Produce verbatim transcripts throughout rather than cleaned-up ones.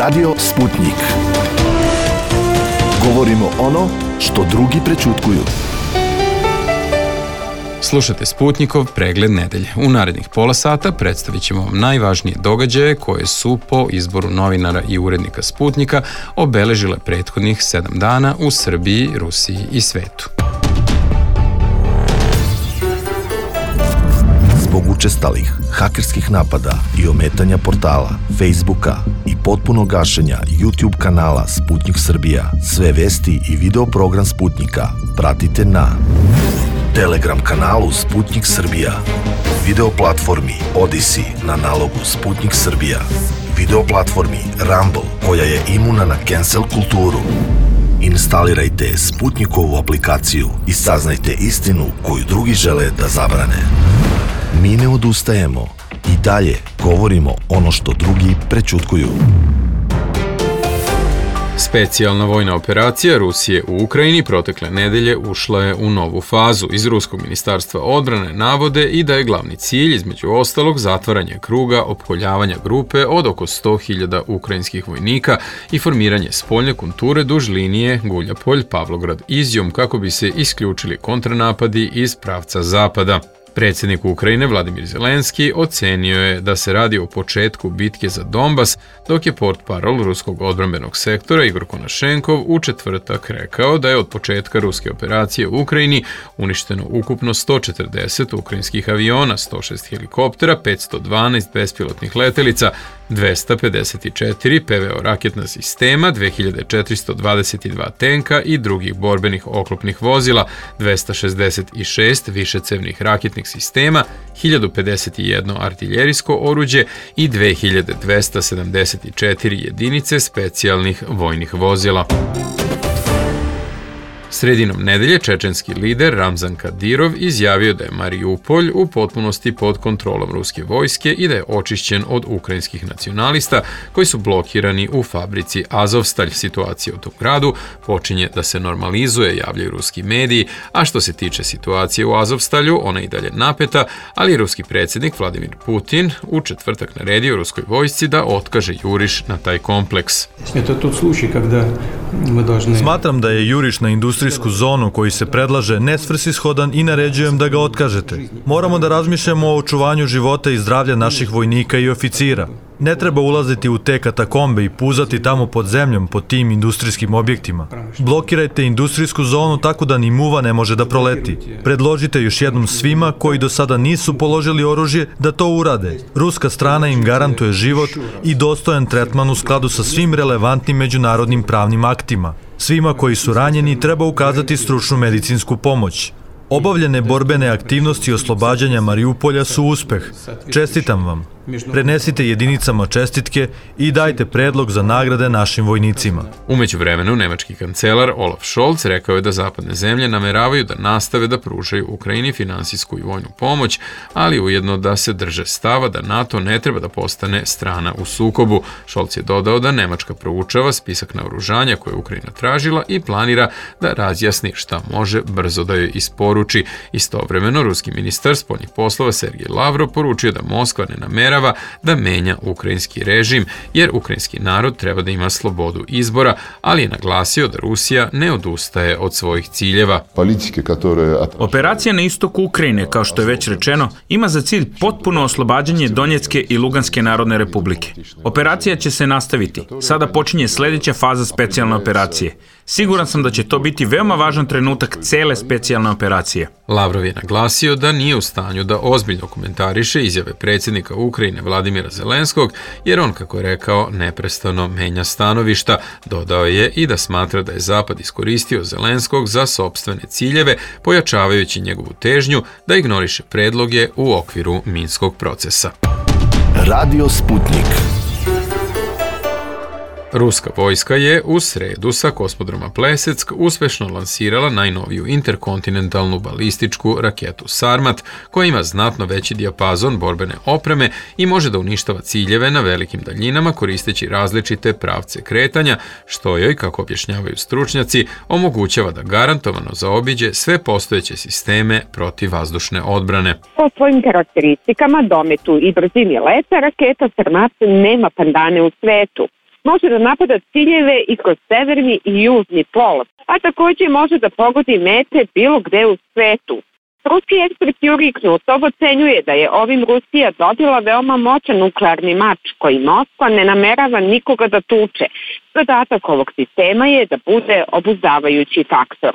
Radio Sputnik. Govorimo ono što drugi prećutkuju. Slušate Sputnikov pregled nedelje. U narednih pola sata predstavit ćemo vam najvažnije događaje koje su po izboru novinara i urednika Sputnika obeležile prethodnih sedam dana u Srbiji, Rusiji i svetu. Zbog učestalih hakerskih napada i ometanja portala, Facebooka i potpuno gašenja YouTube kanala Sputnik Srbija, sve vesti i video program Sputnika pratite na Telegram kanalu Sputnik Srbija, video platformi Odyssey na nalogu Sputnik Srbija, video platformi Rumble koja je imuna na cancel kulturu. Instalirajte Sputnikovu aplikaciju i saznajte istinu koju drugi žele da zabrane. Mi ne odustajemo i dalje govorimo ono što drugi prećutkuju. Specijalna vojna operacija Rusije u Ukrajini protekle nedelje ušla je u novu fazu. Iz Ruskog ministarstva odbrane navode i da je glavni cilj, između ostalog, zatvaranje kruga opkoljavanja grupe od oko sto hiljada ukrajinskih vojnika i formiranje spoljne konture duž linije Guljapolj-Pavlograd-Izjum kako bi se isključili kontranapadi iz pravca zapada. Predsjednik Ukrajine Vladimir Zelenski ocenio je da se radi o početku bitke za Donbas, dok je portparol ruskog odbrambenog sektora Igor Konašenkov u četvrtak rekao da je od početka ruske operacije u Ukrajini uništeno ukupno sto četrdeset ukrajinskih aviona, sto šest helikoptera, petsto dvanaest bespilotnih letelica, dvesta pedeset četiri P V O raketna sistema, dve hiljade četiristo dvadeset dva tenka i drugih borbenih oklopnih vozila, dvesta šezdeset šest višecevnih raketnih sistema, hiljadu pedeset jedno artiljerijsko oruđe i dve hiljade dvesta sedamdeset četiri jedinice specijalnih vojnih vozila. Sredinom nedelje čečenski lider Ramzan Kadirov izjavio da je Mariupolj u potpunosti pod kontrolom ruske vojske i da je očišćen od ukrajinskih nacionalista koji su blokirani u fabrici Azovstalj. Situacija u tom gradu počinje da se normalizuje, javljaju ruski mediji, a što se tiče situacije u Azovstalju, ona je i dalje napeta, ali ruski predsjednik Vladimir Putin u četvrtak naredio ruskoj vojsci da otkaže juriš na taj kompleks. Smatram da je juriš na industrijsku zonu koji se predlaže nesvrsishodan i naređujem da ga otkažete. Moramo da razmišljamo o očuvanju života i zdravlja naših vojnika i oficira. Ne treba ulaziti u te katakombe i puzati tamo pod zemljom pod tim industrijskim objektima. Blokirajte industrijsku zonu tako da ni muva ne može da proleti. Predložite još jednom svima koji do sada nisu položili oružje da to urade. Ruska strana im garantuje život i dostojan tretman u skladu sa svim relevantnim međunarodnim pravnim aktima. Svima koji su ranjeni treba ukazati stručnu medicinsku pomoć. Obavljene borbene aktivnosti oslobađanja Mariupolja su uspeh. Čestitam vam. Prenesite jedinicama čestitke i dajte predlog za nagrade našim vojnicima. U međuvremenu, nemački kancelar Olaf Scholz rekao je da zapadne zemlje nameravaju da nastave da pružaju Ukrajini finansijsku i vojnu pomoć, ali ujedno da se drže stava da NATO ne treba da postane strana u sukobu. Scholz je dodao da Nemačka proučava spisak naoružanja koje je Ukrajina tražila i planira da razjasni šta može brzo da joj isporuči. Istovremeno, ruski ministar spoljnih poslova Sergej Lavrov poručio da Moskva ne namera da menja ukrajinski režim, jer ukrajinski narod treba da ima slobodu izbora, ali je naglasio da Rusija ne odustaje od svojih ciljeva. Operacija na istoku Ukrajine, kao što je već rečeno, ima za cilj potpuno oslobađanje Donjecke i Luganske narodne republike. Operacija će se nastaviti. Sada počinje sljedeća faza specijalne operacije. Siguran sam da će to biti veoma važan trenutak cele specijalne operacije. Lavrov je naglasio da nije u stanju da ozbiljno komentariše izjave predsjednika Ukrajine Vladimira Zelenskog, jer on, kako je rekao, neprestano menja stanovišta. Dodao je i da smatra da je Zapad iskoristio Zelenskog za sopstvene ciljeve, pojačavajući njegovu težnju da ignoriše predloge u okviru Minskog procesa. Radio Sputnik. Ruska vojska je u sredu sa kosmodroma Plesetsk uspešno lansirala najnoviju interkontinentalnu balističku raketu Sarmat, koja ima znatno veći dijapazon borbene opreme i može da uništava ciljeve na velikim daljinama koristeći različite pravce kretanja, što joj, kako objašnjavaju stručnjaci, omogućava da garantovano zaobiđe sve postojeće sisteme protivvazdušne odbrane. Po svojim karakteristikama, dometu i brzini leta, raketa Sarmat nema pandane u svetu. može da napada ciljeve i kroz severni i južni pol, a takođe može da pogodi mete bilo gde u svetu. Ruski ekspert Jurij Knutov ocenjuje da je ovim Rusija dobila veoma moćan nuklearni mač koji Moskva ne namerava nikoga da tuče. Zadatak ovog sistema je da bude obuzdavajući faktor.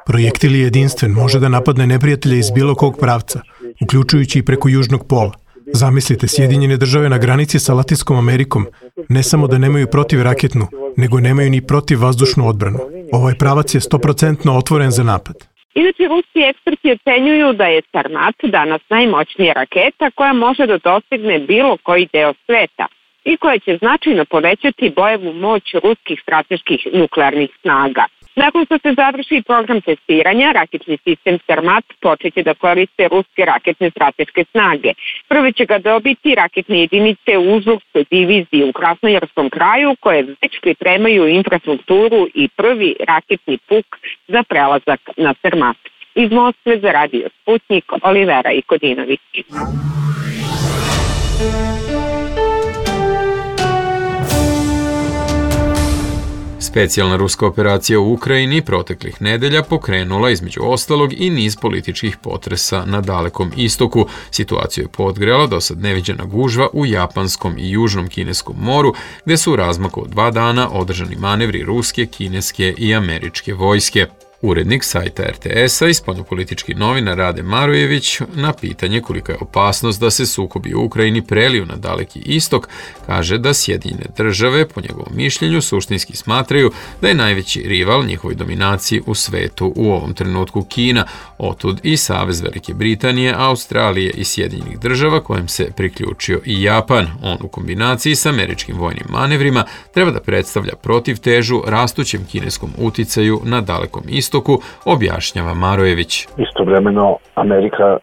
Projektil je jedinstven, može da napadne neprijatelja iz bilo kog pravca, uključujući i preko južnog pola. Zamislite, Sjedinjene države na granici sa Latinskom Amerikom ne samo da nemaju protivraketnu, nego nemaju ni protivvazdušnu odbranu. Ovaj pravac je sto posto otvoren za napad. Inače, ruski eksperti ocenjuju da je Sarmat danas najmoćnija raketa koja može da dostigne bilo koji deo sveta i koja će značajno povećati bojevu moć ruskih strateških nuklearnih snaga. Nakon što se završi program testiranja, raketni sistem Sarmat počeće da koriste ruske raketne strateške snage. Prve će ga dobiti raketne jedinice u Užurskoj diviziji u Krasnojarskom kraju, koje već pripremaju infrastrukturu i prvi raketni puk za prelazak na Sarmat. Iz Moskve za Radio Sputnik, Olivera Ikodinović. Specijalna ruska operacija u Ukrajini proteklih nedelja pokrenula između ostalog i niz političkih potresa na Dalekom istoku. Situaciju je podgrela dosad neviđena gužva u Japanskom i Južnom Kineskom moru, gde su u razmaku od dva dana održani manevri ruske, kineske i američke vojske. Urednik sajta er te es-a i spoljnopolitički novinar Rade Marojević na pitanje kolika je opasnost da se sukobi u Ukrajini preliju na Daleki istok, kaže da Sjedinjene države, po njegovom mišljenju, suštinski smatraju da je najveći rival njihovoj dominaciji u svetu u ovom trenutku Kina, otud i Savez Velike Britanije, Australije i Sjedinjenih država kojem se priključio i Japan. On u kombinaciji s američkim vojnim manevrima treba da predstavlja protivtežu rastućem kineskom uticaju na Dalekom istoku, istoku, objašnjava Marojević. Istovremeno, Amerika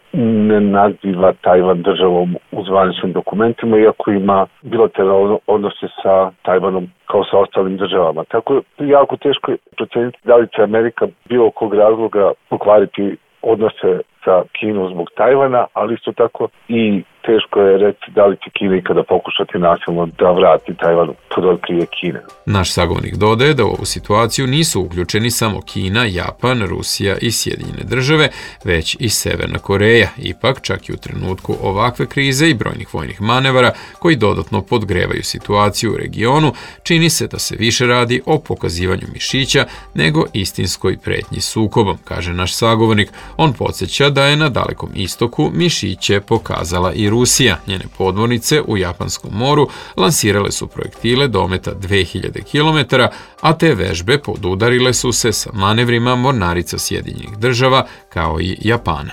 ne naziva Tajvan državom u zvaničnim dokumentima, iako ima bilateralne odnose sa Tajvanom kao sa ostalim državama. Tako je jako teško proceniti da li će Amerika bilo kog razloga pokvariti odnose sa Kinom zbog Tajvana, ali isto tako i teško je reći da li će Kina ikada pokušati nasilno da vrati Tajvan pod otkrije Kine. Naš sagovornik dodaje da u ovu situaciju nisu uključeni samo Kina, Japan, Rusija i Sjedinjene države, već i Severna Koreja. Ipak, čak i u trenutku ovakve krize i brojnih vojnih manevara koji dodatno podgrevaju situaciju u regionu, čini se da se više radi o pokazivanju mišića nego istinskoj pretnji sukobom, kaže naš sagovornik. On podsjeća da je na Dalekom istoku mišiće pokazala i Rusija. Njene podmornice u Japanskom moru lansirale su projektile dometa dve hiljade kilometara, a te vežbe podudarile su se sa manevrima mornarica Sjedinjenih država kao i Japana.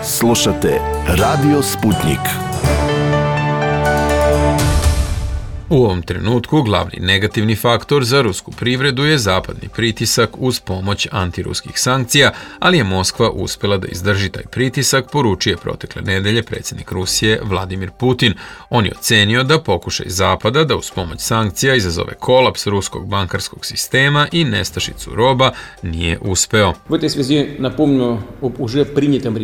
Slušate Radio Sputnik. U ovom trenutku glavni negativni faktor za rusku privredu je zapadni pritisak uz pomoć antiruskih sankcija, ali je Moskva uspela da izdrži taj pritisak, poručuje protekle nedelje predsjednik Rusije Vladimir Putin. On je ocenio da pokušaj Zapada da uz pomoć sankcija izazove kolaps ruskog bankarskog sistema i nestašicu roba nije uspeo.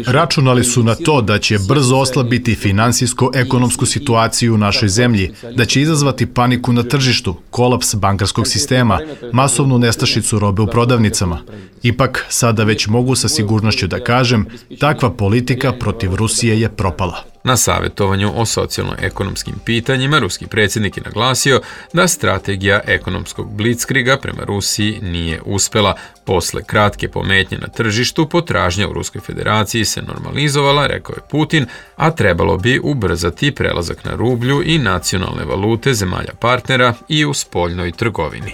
Računali su na to da će brzo oslabiti finansijsko-ekonomsku situaciju u našoj zemlji, da će izazvati paniku na tržištu, kolaps bankarskog sistema, masovnu nestašicu robe u prodavnicama. Ipak, sada već mogu sa sigurnošću da kažem, takva politika protiv Rusije je propala. Na savjetovanju o socijalno-ekonomskim pitanjima ruski predsjednik je naglasio da strategija ekonomskog blitzkriga prema Rusiji nije uspela. Posle kratke pometnje na tržištu, potražnja u Ruskoj federaciji se normalizovala, rekao je Putin, a trebalo bi ubrzati prelazak na rublju i nacionalne valute zemalja partnera i u spoljnoj trgovini.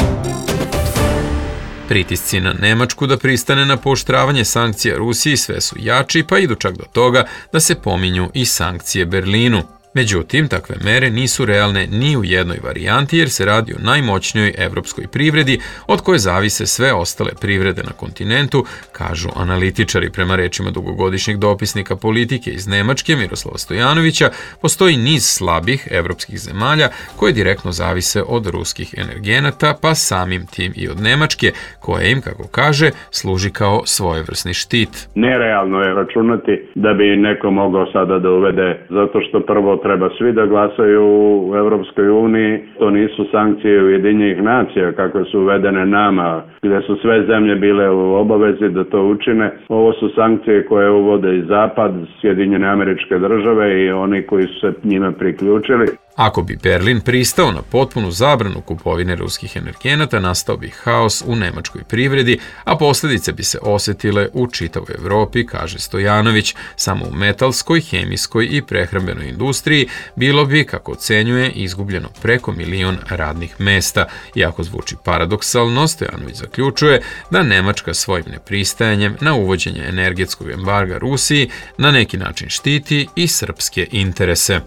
Pritisci na Nemačku da pristane na pooštravanje sankcija Rusiji sve su jači, pa idu čak do toga da se pominju i sankcije Berlinu. Međutim, takve mere nisu realne ni u jednoj varijanti jer se radi o najmoćnijoj evropskoj privredi od koje zavise sve ostale privrede na kontinentu, kažu analitičari. Prema rečima dugogodišnjeg dopisnika politike iz Nemačke Miroslava Stojanovića, postoji niz slabih evropskih zemalja koje direktno zavise od ruskih energenata, pa samim tim i od Nemačke, koja im, kako kaže, služi kao svojevrsni štit. Nerealno je računati da bi neko mogao sada da uvede, zato što prvo treba svi da glasaju u Evropskoj uniji. To nisu sankcije Ujedinjenih nacija kakve su uvedene nama, gdje su sve zemlje bile u obavezi da to učine. Ovo su sankcije koje uvode i Zapad, Sjedinjene Američke Države i oni koji su se njime priključili. Ako bi Berlin pristao na potpunu zabranu kupovine ruskih energenata, nastao bi haos u nemačkoj privredi, a posljedice bi se osjetile u čitavoj Evropi, kaže Stojanović. Samo u metalskoj, hemijskoj i prehrambenoj industriji bilo bi, kako ocenjuje, izgubljeno preko milion radnih mesta. Iako zvuči paradoksalno, Stojanović zaključuje da Nemačka svojim nepristajanjem na uvođenje energetskog embarga Rusiji na neki način štiti i srpske interese.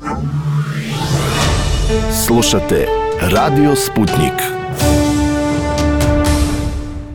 Slušate Radio Sputnik.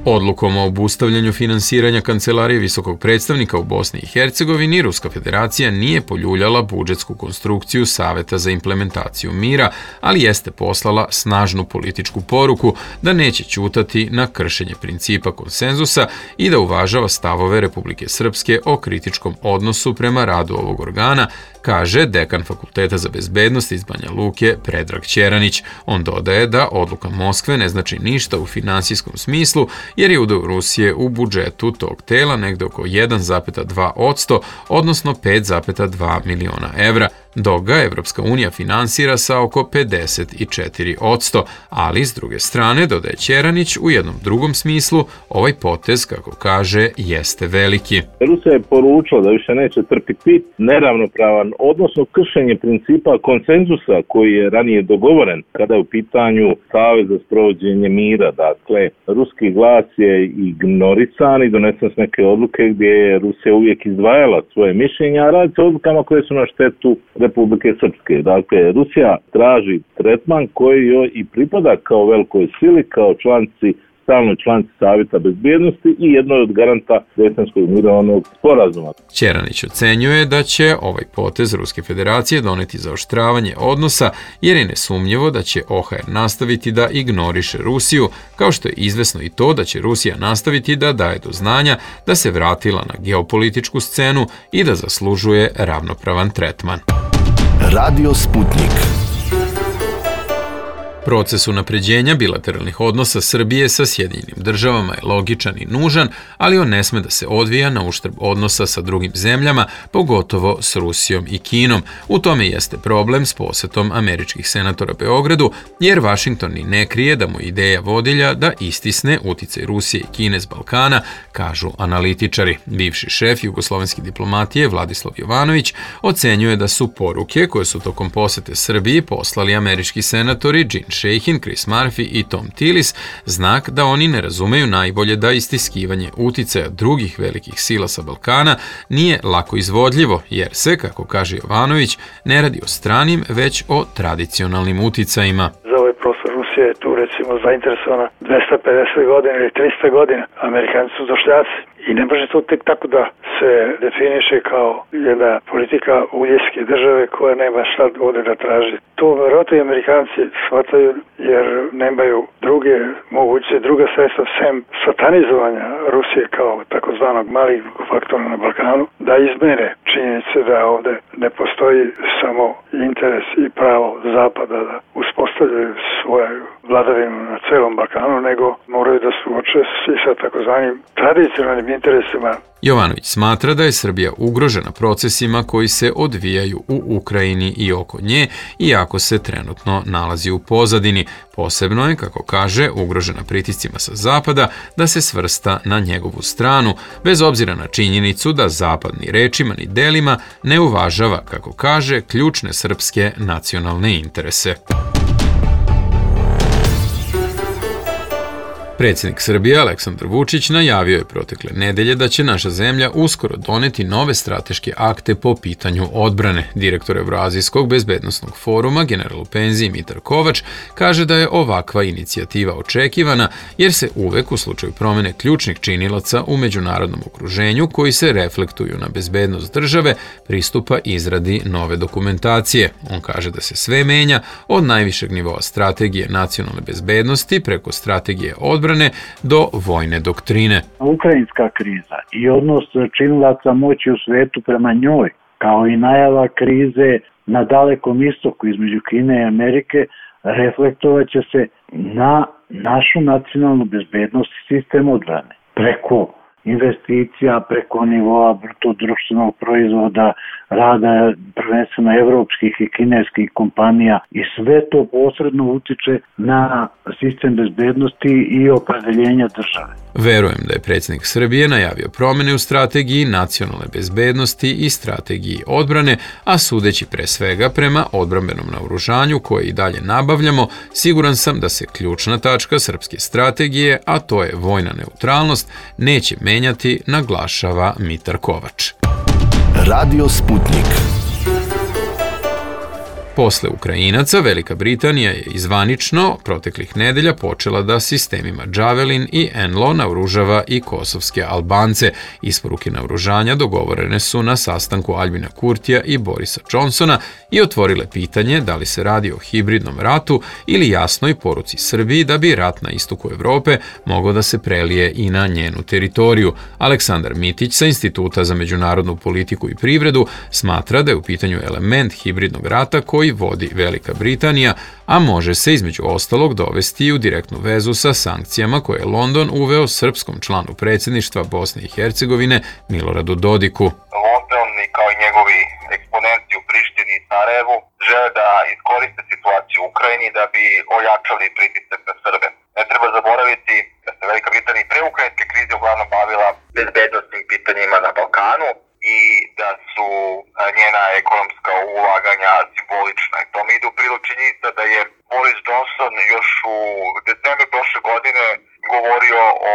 Odlukom o obustavljanju finansiranja Kancelarije visokog predstavnika u Bosni i Hercegovini, Ruska federacija nije poljuljala budžetsku konstrukciju Saveta za implementaciju mira, ali jeste poslala snažnu političku poruku da neće ćutati na kršenje principa konsenzusa i da uvažava stavove Republike Srpske o kritičkom odnosu prema radu ovog organa, kaže dekan Fakulteta za bezbednost iz Banja Luke Predrag Ćeranić. On dodaje da odluka Moskve ne znači ništa u finansijskom smislu, jer je udeo Rusije u budžetu tog tela negde oko jedan zarez dva posto, odnosno pet zarez dva miliona evra, dok ga Evropska unija finansira sa oko pedeset četiri posto, ali s druge strane, dodaje Ćeranić, u jednom drugom smislu, ovaj potez, kako kaže, jeste veliki. Rusija je poručila da više neće trpiti neravnopravan, odnosno kršenje principa konsenzusa koji je ranije dogovoren kada je u pitanju Savez za sprovođenje mira. Dakle, ruski glas je ignorisan i donesen s neke odluke gdje je Rusija uvijek izdvajala svoje mišljenja, a radi se o odlukama koje su na štetu Republike Srpske. Dakle, Rusija traži tretman koji joj i pripada kao velikoj sili, kao članici, stalnoj članici Savjeta bezbjednosti i jednoj od garanta Dejtonskog mirovnog sporazuma. Ćeranić ocenjuje da će ovaj potez Ruske federacije doneti zaoštravanje odnosa, jer je nesumnjivo da će O H R nastaviti da ignoriše Rusiju, kao što je izvesno i to da će Rusija nastaviti da daje do znanja da se vratila na geopolitičku scenu i da zaslužuje ravnopravan tretman. Radio Sputnik. Proces unapređenja bilateralnih odnosa Srbije sa Sjedinjenim državama je logičan i nužan, ali on ne sme da se odvija na uštrb odnosa sa drugim zemljama, pogotovo s Rusijom i Kinom. U tome jeste problem s posetom američkih senatora Beogradu, jer Vašington ni ne krije da mu ideja vodilja da istisne uticaj Rusije i Kine s Balkana, kažu analitičari. Bivši šef jugoslovenske diplomatije Vladislav Jovanović ocenjuje da su poruke koje su tokom posete Srbiji poslali američki senatori Gene Shahin, Chris Murphy i Tom Tillis znak da oni ne razumeju najbolje da istiskivanje uticaja drugih velikih sila sa Balkana nije lako izvodljivo, jer se, kako kaže Jovanović, ne radi o stranim, već o tradicionalnim uticajima. Za ovaj prostor Rusija je tu recimo zainteresovana dvesta pedeset godina ili trista godina. Amerikanci su došljaci i ne može to tek tako da se definiše kao jedna politika uljevske države koja nema šta ovdje da traži. To verovatno i Amerikanci shvataju jer nemaju druge moguće, druga sredstva sem satanizovanja Rusije kao takozvanog malignog faktora na Balkanu, da izmene činjenice da ovdje ne postoji samo interes i pravo Zapada da uspostavljaju svoju vladavinu na celom Balkanu, nego moraju da suoče i sa takozvanim tradicionalnim interesima. Jovanović smatra da je Srbija ugrožena procesima koji se odvijaju u Ukrajini i oko nje, iako se trenutno nalazi u pozadini. Posebno je, kako kaže, ugrožena pritiscima sa Zapada da se svrsta na njegovu stranu, bez obzira na činjenicu da Zapad ni rečima ni delima ne uvažava, kako kaže, ključne srpske nacionalne interese. Predsjednik Srbije Aleksandar Vučić najavio je protekle nedelje da će naša zemlja uskoro doneti nove strateške akte po pitanju odbrane. Direktor Evroazijskog bezbednosnog foruma, general u penziji Mitar Kovač, kaže da je ovakva inicijativa očekivana jer se uvek u slučaju promene ključnih činilaca u međunarodnom okruženju koji se reflektuju na bezbednost države pristupa izradi nove dokumentacije. On kaže da se sve menja od najvišeg nivoa strategije nacionalne bezbednosti preko strategije odbrane do vojne doktrine. Ukrajinska kriza i odnos činilaca moći u svetu prema njoj kao i najava krize na Dalekom istoku između Kine i Amerike reflektovaće se na našu nacionalnu bezbednost i sistem odbrane. Preko investicija, preko nivoa bruto društvenog proizvoda, rada prvenstveno evropskih i kineskih kompanija i sve to posredno utiče na sistem bezbednosti i opredeljenja države. Verujem da je predsjednik Srbije najavio promjene u strategiji nacionalne bezbednosti i strategiji odbrane, a sudeći pre svega prema odbrambenom naoružanju koje i dalje nabavljamo, siguran sam da se ključna tačka srpske strategije, a to je vojna neutralnost, neće menjati, naglašava Mitar Kovač. Radio Sputnik. Posle Ukrajinaca, Velika Britanija je izvanično proteklih nedelja počela da sistemima Javelin i Enlo naoružava i kosovske Albance. Isporuke naoružanja dogovorene su na sastanku Albina Kurtija i Borisa Johnsona i otvorile pitanje da li se radi o hibridnom ratu ili jasnoj poruci Srbiji da bi rat na istoku Evrope mogao da se prelije i na njenu teritoriju. Aleksandar Mitić sa Instituta za međunarodnu politiku i privredu smatra da je u pitanju element hibridnog rata koji vodi Velika Britanija, a može se između ostalog dovesti u direktnu vezu sa sankcijama koje je London uveo srpskom članu predsjedništva Bosne i Hercegovine Miloradu Dodiku. London i kao i njegovi eksponenti u Prištini i Sarajevu žele da iskoriste situaciju u Ukrajini da bi ojačali pritisak na Srbe. Ne treba zaboraviti da se Velika Britanija pre ukrajinske krize uglavnom bavila bezbednosnim pitanjima na Balkanu i da su njena ekonomska ulaganja simbolična. I to mi ide u prilog činjenica da je Boris Johnson još u decembru prošle godine govorio o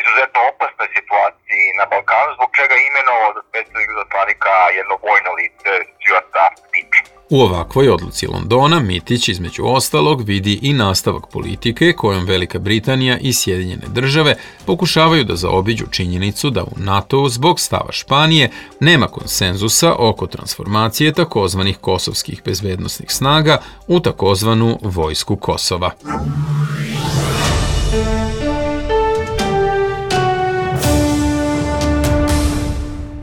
izuzetno opasnoj situaciji na Balkanu, zbog čega imenovao za specijalnog zatvarnika jedno vojno lice Stuarta Peacha. U ovakvoj odluci Londona Mitić između ostalog vidi i nastavak politike kojom Velika Britanija i Sjedinjene države pokušavaju da zaobiđu činjenicu da u NATO-u zbog stava Španije nema konsenzusa oko transformacije takozvanih kosovskih bezbednosnih snaga u takozvanu vojsku Kosova.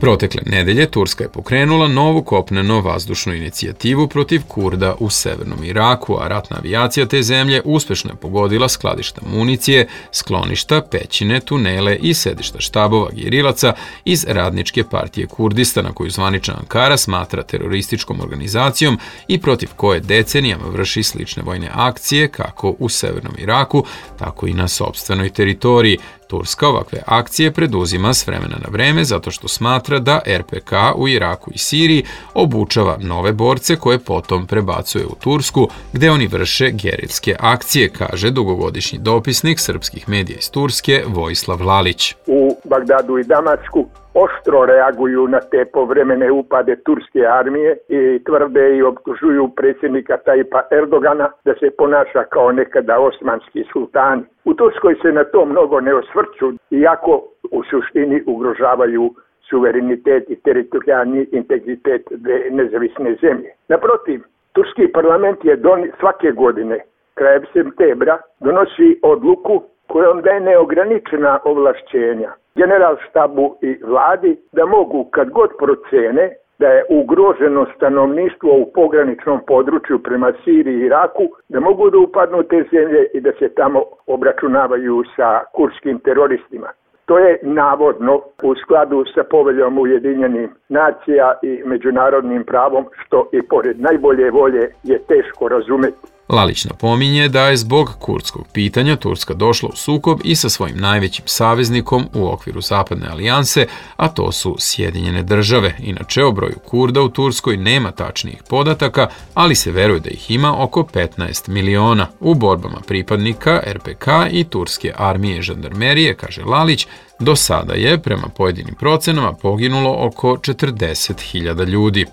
Protekle nedelje Turska je pokrenula novu kopneno-vazdušnu inicijativu protiv Kurda u severnom Iraku, a ratna avijacija te zemlje uspešno je pogodila skladišta municije, skloništa, pećine, tunele i sedišta štabova gerilaca iz Radničke partije Kurdistana, koju zvanična Ankara smatra terorističkom organizacijom i protiv koje decenijama vrši slične vojne akcije kako u severnom Iraku, tako i na sopstvenoj teritoriji. Turska ovakve akcije preduzima s vremena na vreme zato što smatra da er pe ka u Iraku i Siriji obučava nove borce koje potom prebacuje u Tursku, gde oni vrše gerilske akcije, kaže dugogodišnji dopisnik srpskih medija iz Turske Vojislav Lalić. U Bagdadu i Damasku oštro reaguju na te povremene upade turske armije i tvrde i optužuju predsjednika Tajipa Erdogana da se ponaša kao nekada osmanski sultani. U Turskoj se na to mnogo ne osvrću, iako u suštini ugrožavaju suverenitet i teritorijalni integritet dve nezavisne zemlje. Naprotiv, turski parlament je don, svake godine, krajem septembra, donosi odluku kojom daje neograničena ovlašćenja generalštabu i vladi da mogu, kad god procene da je ugroženo stanovništvo u pograničnom području prema Siriji i Iraku, da mogu da upadnu te zemlje i da se tamo obračunavaju sa kurskim teroristima. To je navodno u skladu sa poveljom Ujedinjenih nacija i međunarodnim pravom, što i pored najbolje volje je teško razumeti. Lalić napominje da je zbog kurdskog pitanja Turska došla u sukob i sa svojim najvećim saveznikom u okviru Zapadne alijanse, a to su Sjedinjene države. Inače, o broju Kurda u Turskoj nema tačnijih podataka, ali se veruje da ih ima oko petnaest miliona. U borbama pripadnika er pe ka i turske armije i žandarmerije, kaže Lalić, do sada je, prema pojedinim procenama, poginulo oko četrdeset hiljada ljudi.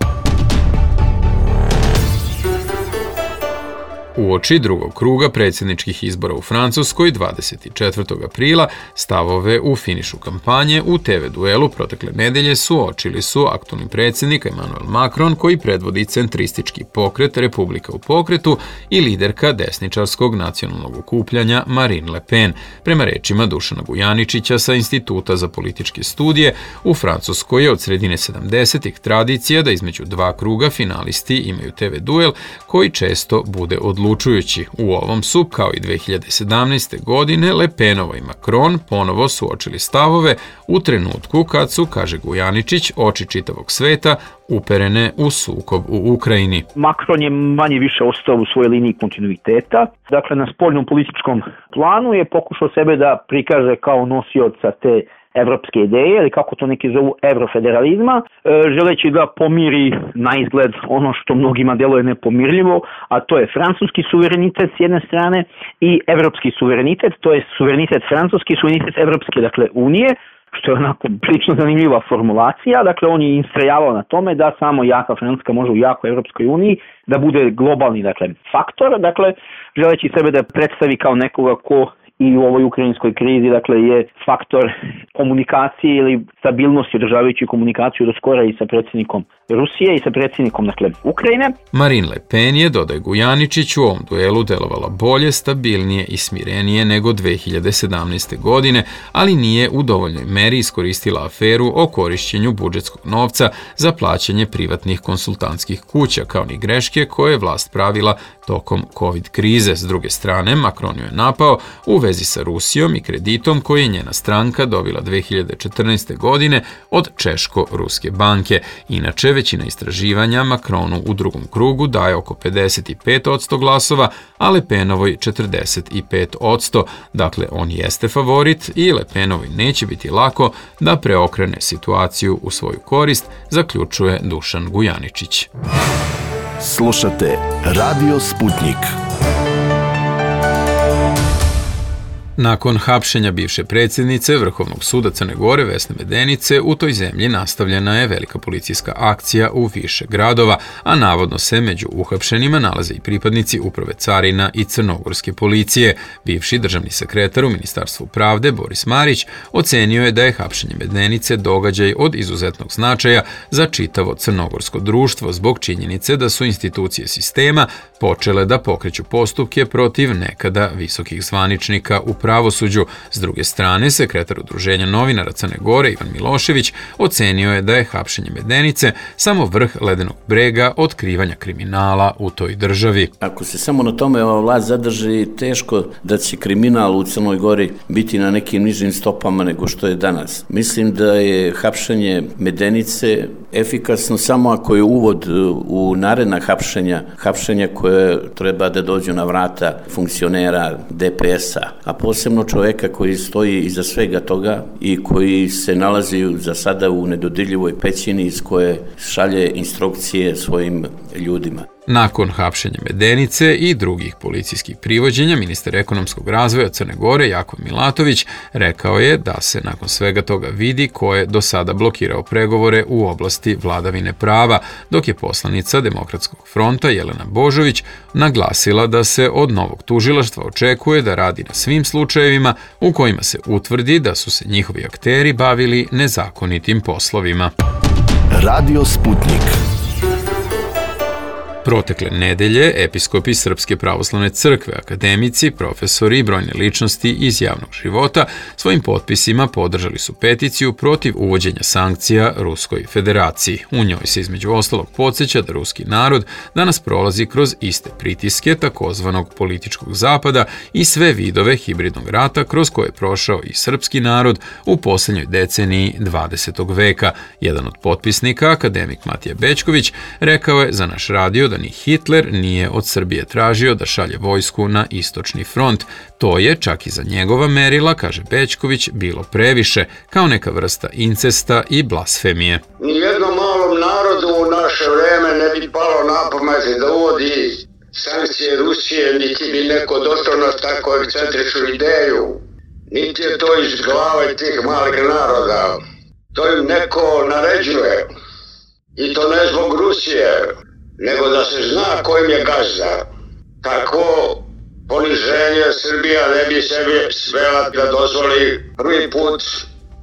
Uoči drugog kruga predsjedničkih izbora u Francuskoj dvadeset četvrtog aprila stavove u finišu kampanje u te ve duelu protekle nedelje suočili su aktualni predsjednik Emmanuel Macron, koji predvodi centristički pokret Republika u pokretu, i liderka desničarskog nacionalnog okupljanja Marine Le Pen. Prema rečima Dušana Gujaničića sa Instituta za političke studije, u Francuskoj je od sredine sedamdesetih tradicija da između dva kruga finalisti imaju te ve duel koji često bude odlučujući. U ovom su, kao i dve hiljade sedamnaeste. godine, Le Penova i Macron ponovo suočili stavove u trenutku kad su, kaže Gujaničić, oči čitavog sveta uperene u sukob u Ukrajini. Macron je manje više ostao u svojoj liniji kontinuiteta. Dakle, na spoljnom političkom planu je pokušao sebe da prikaže kao nosioca te evropske ideje, ili kako to neki zovu evrofederalizma, želeći da pomiri na izgled ono što mnogima deluje nepomirljivo, a to je francuski suverenitet s jedne strane i evropski suverenitet, to je suverenitet francuski, suverenitet evropske, dakle, unije, što je onako prilično zanimljiva formulacija. Dakle, on je istrajavao na tome da samo jaka Francuska može u jakoj Evropskoj uniji da bude globalni, dakle, faktor, dakle, želeći sebe da predstavi kao nekoga ko i u ovoj ukrajinskoj krizi, dakle, je faktor komunikacije ili stabilnosti, održavajući komunikaciju do skora i sa predsjednikom Rusije i sa predsjednikom, dakle, Ukrajine. Marine Le Pen je, dodaje Gujaničić, u ovom duelu delovala bolje, stabilnije i smirenije nego dve hiljade sedamnaeste. godine, ali nije u dovoljnoj meri iskoristila aferu o korišćenju budžetskog novca za plaćanje privatnih konsultantskih kuća, kao ni greške koje je vlast pravila tokom COVID krize. S druge strane, Macron ju je napao u vezi sa Rusijom i kreditom koji je njena stranka dobila dve hiljade četrnaeste. godine od Češko-Ruske banke. Inače, većina istraživanja Macronu u drugom krugu daje oko pedeset pet posto glasova, a Le Penovoj četrdeset pet posto. Dakle, on jeste favorit i Le Penovoj neće biti lako da preokrene situaciju u svoju korist, zaključuje Dušan Gujaničić. Slušate Radio Sputnik. Nakon hapšenja bivše predsjednice Vrhovnog suda Crne Gore Vesne Medenice, u toj zemlji nastavljena je velika policijska akcija u više gradova, a navodno se među uhapšenima nalaze i pripadnici Uprave carina i crnogorske policije. Bivši državni sekretar u Ministarstvu pravde Boris Marić ocenio je da je hapšenje Medenice događaj od izuzetnog značaja za čitavo crnogorsko društvo zbog činjenice da su institucije sistema počele da pokreću postupke protiv nekada visokih zvaničnika u pravosuđu. S druge strane, sekretar Udruženja novinara Crne Gore Ivan Milošević ocenio je da je hapšenje Medenice samo vrh ledenog brega otkrivanja kriminala u toj državi. Ako se samo na tome ova vlast zadrži, teško da će kriminal u Crnoj Gori biti na nekim nižim stopama nego što je danas. Mislim da je hapšenje Medenice efikasno samo ako je uvod u naredna hapšenja, hapšenja koje treba da dođu na vrata funkcionera de pe es a, a posebno čoveka koji stoji iza svega toga i koji se nalazi za sada u nedodirljivoj pećini iz koje šalje instrukcije svojim ljudima. Nakon hapšenja Medenice i drugih policijskih privođenja, ministar ekonomskog razvoja Crne Gore Jakov Milatović rekao je da se nakon svega toga vidi ko je do sada blokirao pregovore u oblasti vladavine prava, dok je poslanica Demokratskog fronta Jelena Božović naglasila da se od novog tužilaštva očekuje da radi na svim slučajevima u kojima se utvrdi da su se njihovi akteri bavili nezakonitim poslovima. Radio Sputnik. Protekle nedelje episkopi Srpske pravoslavne crkve, akademici, profesori i brojne ličnosti iz javnog života svojim potpisima podržali su peticiju protiv uvođenja sankcija Ruskoj federaciji. U njoj se između ostalog podsjeća da ruski narod danas prolazi kroz iste pritiske takozvanog političkog zapada i sve vidove hibridnog rata kroz koje je prošao i srpski narod u posljednjoj deceniji dvadesetog veka. Jedan od potpisnika, akademik Matija Bećković, rekao je za naš radio da ni Hitler nije od Srbije tražio da šalje vojsku na istočni front. To je, čak i za njegova merila, kaže Bećković, bilo previše, kao neka vrsta incesta i blasfemije. Nijednom malom narodu u naše vreme ne bi palo na pamet da uvodi sankcije Rusije, niti bi neko došao na tako ekscentričnu ideju. Niti je to iz glave tih malih naroda. To im neko naređuje. I to ne zbog Rusije, nego da se zna kojim je gazda. Tako poniženje Srbija ne bi sebi smela da dozvoli prvi put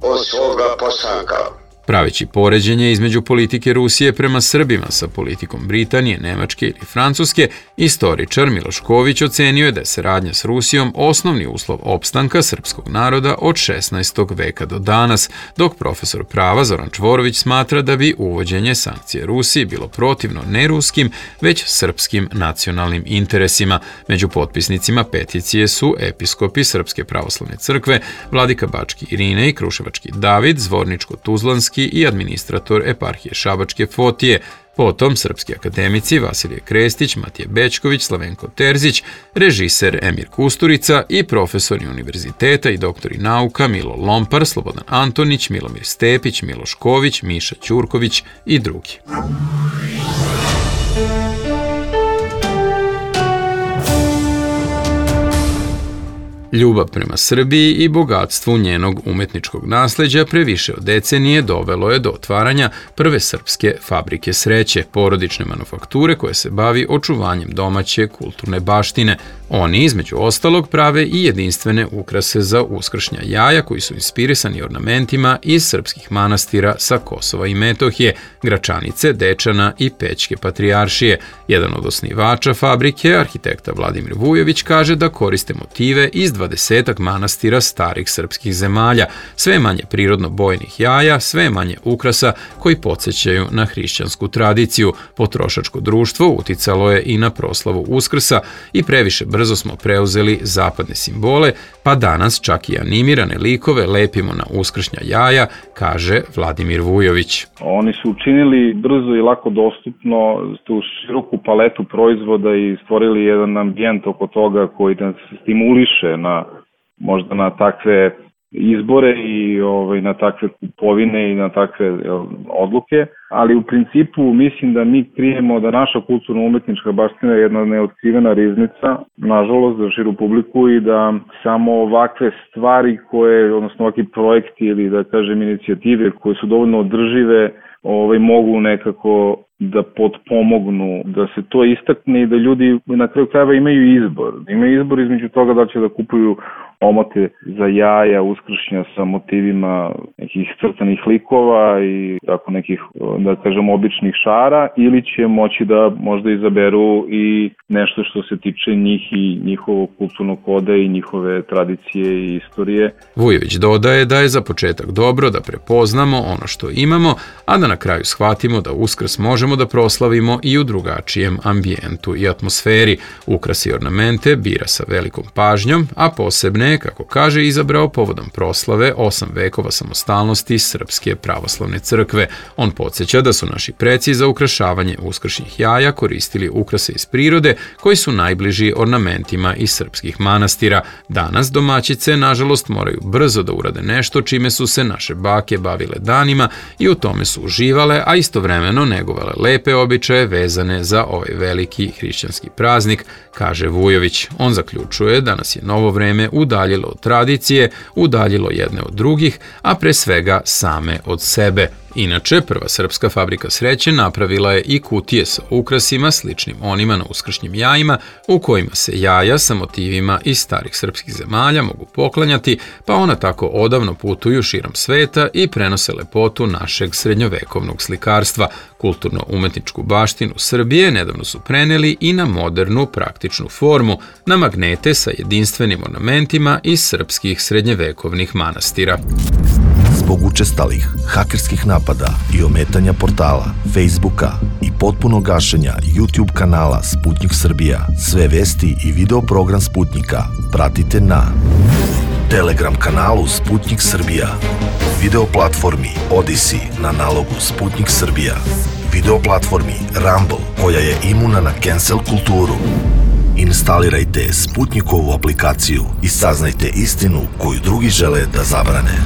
od svoga postanka. Praveći poređenje između politike Rusije prema Srbima sa politikom Britanije, Nemačke ili Francuske, istoričar Miloš Ković ocenio je da je saradnja s Rusijom osnovni uslov opstanka srpskog naroda od šesnaestog veka do danas, dok profesor prava Zoran Čvorović smatra da bi uvođenje sankcije Rusiji bilo protivno ne ruskim, već srpskim nacionalnim interesima. Među potpisnicima peticije su episkopi Srpske pravoslavne crkve, vladika Bački Irine i Kruševački David, Zvorničko-Tuzlanski i administrator eparhije Šabačke Fotije, potom srpski akademici Vasilije Krestić, Matije Bečković, Slavenko Terzić, režiser Emir Kusturica i profesori univerziteta i doktori nauka Milo Lompar, Slobodan Antonić, Milomir Stepić, Miloš Ković, Miša Ćurković i drugi. Ljubav prema Srbiji i bogatstvu njenog umetničkog nasleđa pre više od decenije dovelo je do otvaranja prve srpske fabrike sreće, porodične manufakture koje se bavi očuvanjem domaće kulturne baštine. Oni, između ostalog, prave i jedinstvene ukrase za uskršnja jaja koji su inspirisani ornamentima iz srpskih manastira sa Kosova i Metohije, Gračanice, Dečana i Pećke patrijaršije. Jedan od osnivača fabrike, arhitekta Vladimir Vujović, kaže da koriste motive iz dvadesetak manastira starih srpskih zemalja, sve manje prirodno bojnih jaja, sve manje ukrasa koji podsjećaju na hrišćansku tradiciju. Potrošačko društvo uticalo je i na proslavu Uskrsa i previše brzo smo preuzeli zapadne simbole, pa danas čak i animirane likove lepimo na uskršnja jaja, kaže Vladimir Vujović. Oni su učinili brzo i lako dostupno tu široku paletu proizvoda i stvorili jedan ambijent oko toga koji nas stimuliše na možda na takve izbore i ovaj, na takve kupovine i na takve odluke, ali u principu mislim da mi krijemo da naša kulturno-umetnička baština je jedna neotkrivena riznica, nažalost, za širu publiku i da samo ovakve stvari koje, odnosno ovakvi projekti ili da kažem inicijative koje su dovoljno održive, ovaj, mogu nekako da potpomognu, da se to istakne i da ljudi na kraju krajeva imaju izbor. Imaju izbor između toga da će da kupuju omote za jaja, uskršnja sa motivima nekih crtanih likova i tako nekih, da kažem, običnih šara, ili će moći da možda izaberu i nešto što se tiče njih i njihovog kulturnog koda i njihove tradicije i istorije. Vujović dodaje da je za početak dobro da prepoznamo ono što imamo, a da na kraju shvatimo da Uskrs možemo da proslavimo i u drugačijem ambijentu i atmosferi. Ukrasi i ornamente bira sa velikom pažnjom, a posebne, kako kaže, izabrao povodom proslave osam vekova samostalnosti Srpske pravoslavne crkve. On podsjeća da su naši preci za ukrašavanje uskršnjih jaja koristili ukrase iz prirode koji su najbliži ornamentima iz srpskih manastira. Danas domaćice, nažalost, moraju brzo da urade nešto čime su se naše bake bavile danima i u tome su uživale, a istovremeno negovale lepe običaje vezane za ovaj veliki hrišćanski praznik, kaže Vujović. On zaključuje da nas je novo vreme udaljilo od tradicije, udaljilo jedne od drugih, a pre svega same od sebe. Inače, prva srpska fabrika sreće napravila je i kutije sa ukrasima sličnim onima na uskršnjim jajima, u kojima se jaja sa motivima iz starih srpskih zemalja mogu poklanjati, pa ona tako odavno putuju širom sveta i prenose lepotu našeg srednjovekovnog slikarstva. Kulturno-umetničku baštinu Srbije nedavno su preneli i na modernu praktičnu formu, na magnete sa jedinstvenim ornamentima iz srpskih srednjevekovnih manastira. Zbog učestalih hakerskih napada i ometanja portala, Facebooka i potpunog gašenja YouTube kanala Sputnik Srbija, sve vesti i video program Sputnika pratite na Telegram kanalu Sputnik Srbija, video platformi Odyssey na nalogu Sputnik Srbija, video platformi Rumble koja je imuna na cancel kulturu. Instalirajte Sputnikovu aplikaciju i saznajte istinu koju drugi žele da zabrane.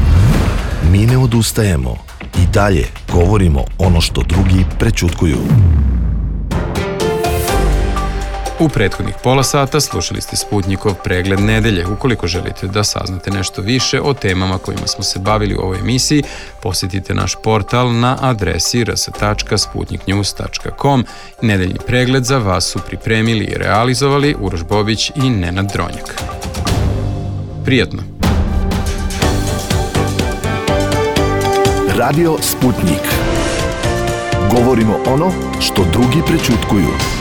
Mi ne odustajemo i dalje govorimo ono što drugi prećutkuju. U prethodnih pola sata slušali ste Sputnjikov pregled nedelje. Ukoliko želite da saznate nešto više o temama kojima smo se bavili u ovoj emisiji, posjetite naš portal na adresi r s tačka sputnik news tačka com. Nedeljni pregled za vas su pripremili i realizovali Uroš Bobić i Nenad Dronjak. Prijatno! Radio Sputnik. Govorimo ono što drugi prećutkuju.